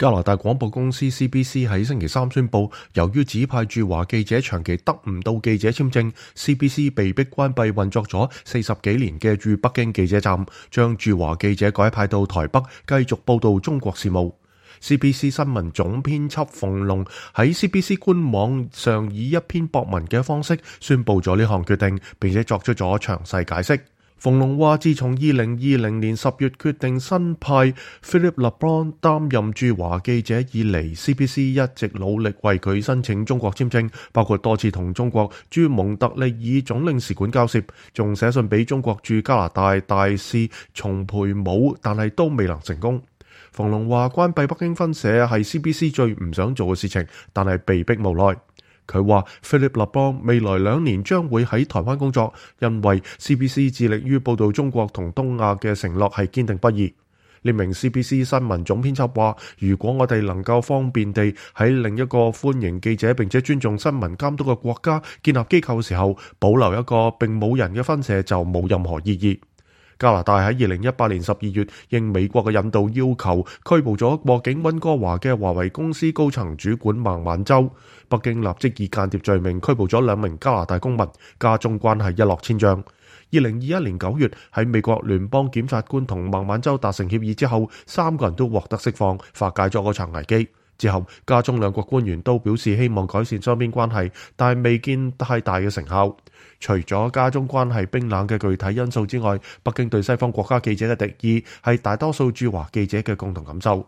加拿大廣播公司 CBC 喺星期三宣布，由於指派駐華記者長期得唔到記者簽證， CBC 被迫關閉運作咗40幾年嘅駐北京記者站，將駐華記者改派到台北繼續報道中國事務。CBC 新聞總編輯馮龍喺 CBC 官網上以一篇博文嘅方式宣布咗呢項決定，並且作出咗詳細解釋。馮龍話：自從2020年10月決定新派 Philippe Leblanc 擔任駐華記者以嚟， CBC 一直努力為佢申請中國簽證，包括多次同中國駐蒙特利爾總領事館交涉，仲寫信俾中國駐加拿大大使叢培武，但係都未能成功。馮龍話：關閉北京分社係 CBC 最唔想做嘅事情，但係被迫無奈。佢話 Philippe Leblanc 未來2年將會喺台灣工作，因為 CBC 致力於報導中國同東亞嘅承諾係堅定不移。呢名 CBC 新聞總編輯話：如果我哋能夠方便地喺另一個歡迎記者並且尊重新聞監督嘅國家建立機構嘅時候，保留一個並冇人嘅分社就冇任何意義。加拿大喺2018年12月應美國嘅引導要求拘捕咗過境溫哥華嘅華為公司高層主管孟晚舟，北京立即以間諜罪名拘捕咗2名加拿大公民，加中關係一落千丈。2021年9月喺美國聯邦檢察官同孟晚舟達成協議之後，3個人都獲得釋放，化解咗嗰場危機。之後加中2國官員都表示希望改善雙邊關係，但係未見太大嘅成效。除咗加中關係冰冷嘅具體因素之外，北京對西方國家記者嘅敵意係大多數駐華記者嘅共同感受。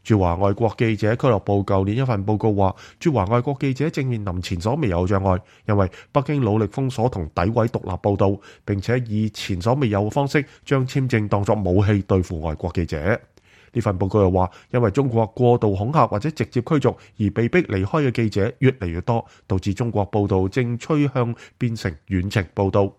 駐華外國記者俱樂部舊年一份報告話，駐華外國記者正面臨前所未有障礙，因為北京努力封鎖同詆毀獨立報導，並且以前所未有嘅方式將簽證當作武器對付外國記者。呢份報告又話，因為中國過度恐嚇或者直接驅逐而被迫離開嘅記者越嚟越多，導致中國報導正趨向變成遠程報導。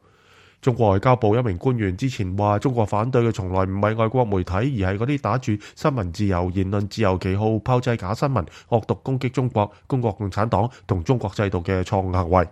中國外交部一名官員之前話，中國反對嘅從來唔係外國媒體，而係嗰啲打住新聞自由、言論自由旗號炮製假新聞、惡毒攻擊中國、中國共產黨同中國制度嘅錯誤行為。